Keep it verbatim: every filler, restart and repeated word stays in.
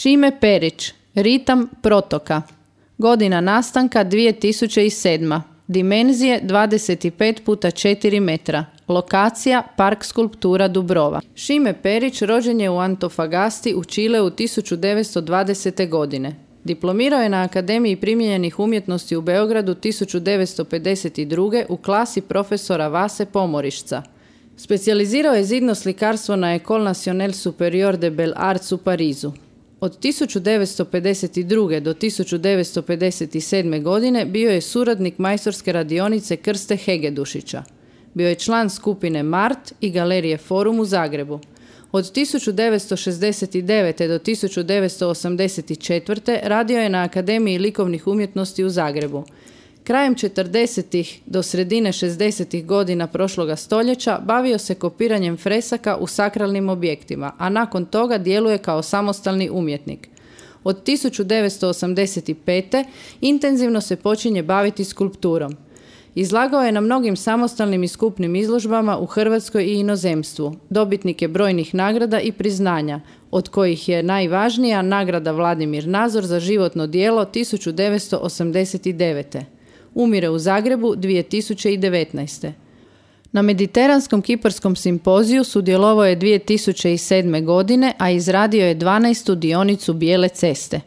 Šime Perić, Ritam protoka. Godina nastanka dvije tisuće sedma. Dimenzije dvadeset pet puta četiri metra. Lokacija Park skulptura Dubrova. Šime Perić rođen je u Antofagasti u Čileu tisuću devetsto dvadesete. godine. Diplomirao je na Akademiji primijenjenih umjetnosti u Beogradu tisuću devetsto pedeset druge. u klasi profesora Vase Pomorišca. Specijalizirao je zidno slikarstvo na École Nationale Supérieure des Beaux-Arts u Parizu. Od tisuću devetsto pedeset druge. do tisuću devetsto pedeset sedme. godine bio je suradnik majstorske radionice Krste Hegedušića. Bio je član skupine Mart i Galerije Forum u Zagrebu. Od tisuću devetsto šezdeset devete. do tisuću devetsto osamdeset četvrte. radio je na Akademiji likovnih umjetnosti u Zagrebu. Krajem četrdesetih do sredine šezdesetih godina prošloga stoljeća bavio se kopiranjem fresaka u sakralnim objektima, a nakon toga djeluje kao samostalni umjetnik. Od tisuću devetsto osamdeset pete. intenzivno se počinje baviti skulpturom. Izlagao je na mnogim samostalnim i skupnim izložbama u Hrvatskoj i inozemstvu. Dobitnik je brojnih nagrada i priznanja, od kojih je najvažnija nagrada Vladimir Nazor za životno djelo tisuću devetsto osamdeset devete. Umire u Zagrebu dvije tisuće devetnaeste. Na Mediteranskom kiparskom simpoziju sudjelovao je dvije tisuće sedme. godine, a izradio je dvanaestu dionicu Bijele ceste.